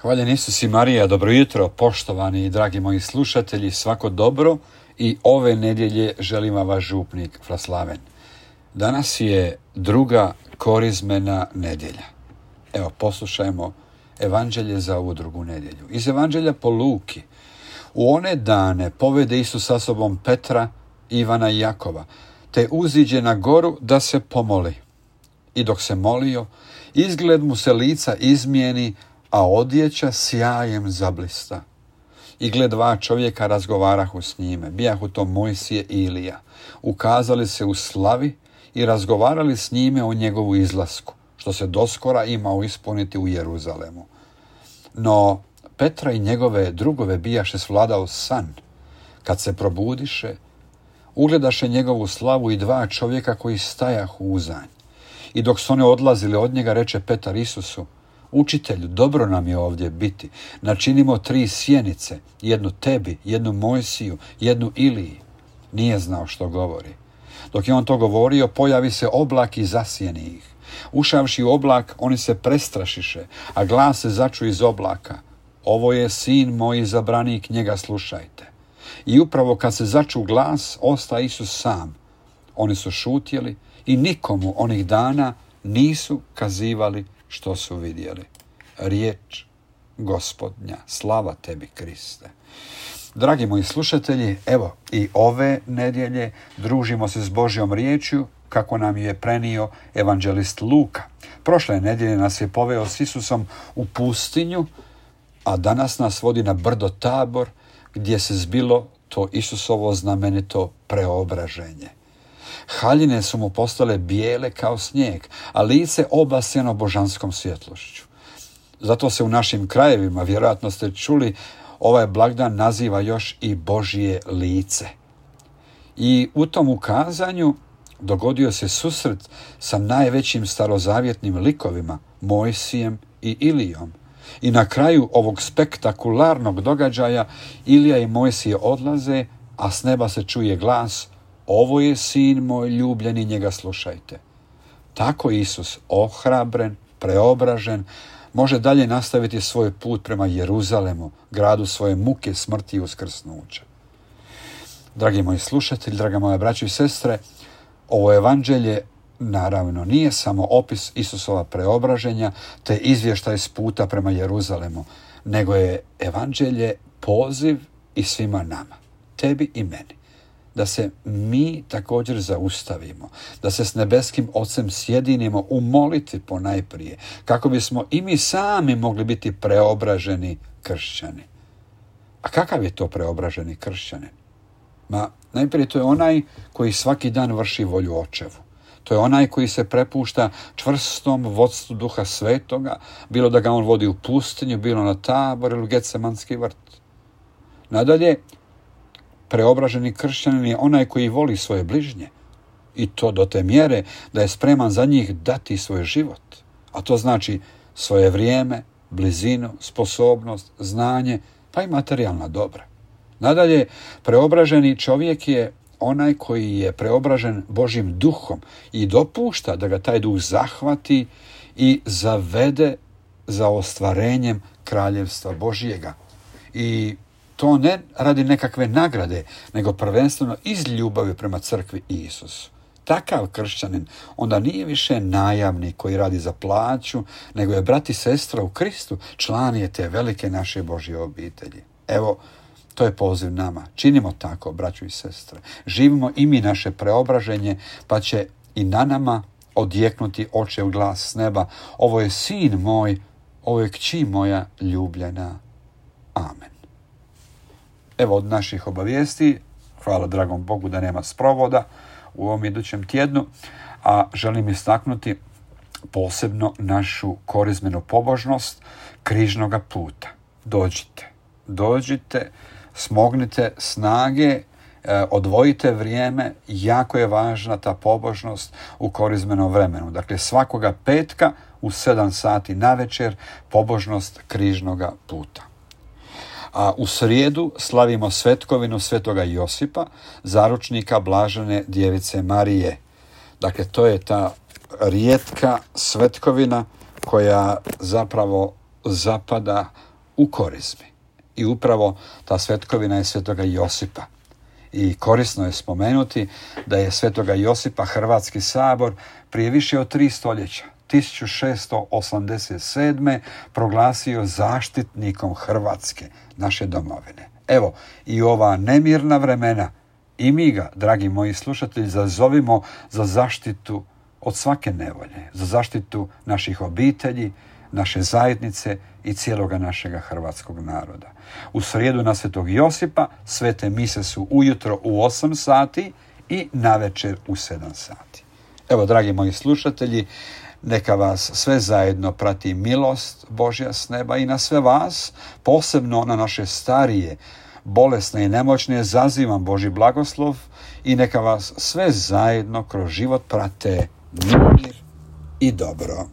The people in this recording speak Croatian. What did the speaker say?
Hvaljen Isus i Marija, dobro jutro, poštovani i dragi moji slušatelji, svako dobro i ove nedjelje želim vam vaš župnik Fraslaven. Danas je druga korizmena nedjelja. Evo, poslušajmo evanđelje za ovu drugu nedjelju. Iz evanđelja po Luki. U one dane povede Isus sa sobom Petra, Ivana i Jakova, te uziđe na goru da se pomoli. I dok se molio, izgled mu se lica izmijeni, a odjeća sjajem zablista. I gle, dva čovjeka razgovarahu s njime, bijahu to Mojsije i Ilija. Ukazali se u slavi i razgovarali s njime o njegovu izlasku, što se doskora imao ispuniti u Jeruzalemu. No Petra i njegove drugove bijaše svladao san. Kad se probudiše, ugledaše njegovu slavu i dva čovjeka koji stajahu uzanj. I dok su oni odlazili od njega, reče Petar Isusu: Učitelju, dobro nam je ovdje biti. Načinimo 3 sjenice, jednu tebi, jednu Mojsiju, jednu Iliji. Nije znao što govori. Dok je on to govorio, pojavi se oblak i zasjeni ih. Ušavši u oblak, oni se prestrašiše, a glas se začu iz oblaka: Ovo je sin moj izabranik, njega slušajte. I upravo kad se začu glas, osta Isus sam. Oni su šutjeli i nikomu onih dana nisu kazivali što su vidjeli. Riječ Gospodnja, slava tebi Kriste. Dragi moji slušatelji, evo i ove nedjelje družimo se s Božjom riječju kako nam je prenio evanđelist Luka. Prošle nedjelje nas je poveo s Isusom u pustinju, a danas nas vodi na brdo Tabor, gdje se zbilo to Isusovo znamenito preobraženje. Haljine su mu postale bijele kao snijeg, a lice obasjeno božanskom svjetlošću. Zato se u našim krajevima, vjerojatno ste čuli, ovaj blagdan naziva još i Božje lice. I u tom ukazanju dogodio se susret sa najvećim starozavjetnim likovima, Mojsijem i Ilijom. I na kraju ovog spektakularnog događaja Ilija i Mojsije odlaze, a s neba se čuje glas: Ovo je sin moj ljubljeni, njega slušajte. Tako Isus, ohrabren, preobražen, može dalje nastaviti svoj put prema Jeruzalemu, gradu svoje muke, smrti i uskrsnuća. Dragi moji slušatelji, draga moja braćo i sestre, ovo evanđelje naravno nije samo opis Isusova preobraženja te izvještaj s puta prema Jeruzalemu, nego je evanđelje poziv i svima nama, tebi i meni, da se mi također zaustavimo, da se s nebeskim Ocem sjedinimo u molitvi ponajprije, kako bismo i mi sami mogli biti preobraženi kršćani. A kakav je to preobraženi kršćanin? Najprije to je onaj koji svaki dan vrši volju Očevu. To je onaj koji se prepušta čvrstom vodstvu Duha Svetoga, bilo da ga on vodi u pustinju, bilo na Tabor ili u Getsemanski vrt. Nadalje, preobraženi kršćanin je onaj koji voli svoje bližnje, i to do te mjere da je spreman za njih dati svoj život. A to znači svoje vrijeme, blizinu, sposobnost, znanje, pa i materijalna dobra. Nadalje, preobraženi čovjek je onaj koji je preobražen Božjim duhom i dopušta da ga taj duh zahvati i zavede za ostvarenjem kraljevstva Božjega. I to ne radi nekakve nagrade, nego prvenstveno iz ljubavi prema crkvi i Isusu. Takav kršćanin onda nije više najamnik koji radi za plaću, nego je brat i sestra u Kristu, član je te velike naše Božje obitelji. Evo, to je poziv nama. Činimo tako, braćo i sestre. Živimo i mi naše preobraženje, pa će i na nama odjeknuti Očev glas s neba: Ovo je sin moj, ovo je kći moja ljubljena. Amen. Evo od naših obavijesti, hvala dragom Bogu da nema sprovoda u ovom idućem tjednu, a želim istaknuti posebno našu korizmenu pobožnost križnoga puta. Dođite, smognite snage, odvojite vrijeme, jako je važna ta pobožnost u korizmenom vremenu. Dakle, svakoga petka u 7 sati navečer pobožnost križnoga puta. A u srijedu slavimo svetkovinu svetoga Josipa, zaručnika blažene djevice Marije. Dakle, to je ta rijetka svetkovina koja zapravo zapada u Korizmi. I upravo ta svetkovina je svetoga Josipa. I korisno je spomenuti da je svetoga Josipa Hrvatski sabor prije više od 3 stoljeća, 1687. proglasio zaštitnikom Hrvatske, naše domovine. Evo, i ova nemirna vremena, i mi ga, dragi moji slušatelji, zazovimo za zaštitu od svake nevolje, za zaštitu naših obitelji, naše zajednice i cijeloga našega hrvatskog naroda. U srijedu na svetog Josipa svete mise su ujutro u 8 sati i navečer u 7 sati. Evo, dragi moji slušatelji, neka vas sve zajedno prati milost Božja s neba i na sve vas, posebno na naše starije, bolesne i nemoćne, zazivam Božji blagoslov i neka vas sve zajedno kroz život prate mir i dobro.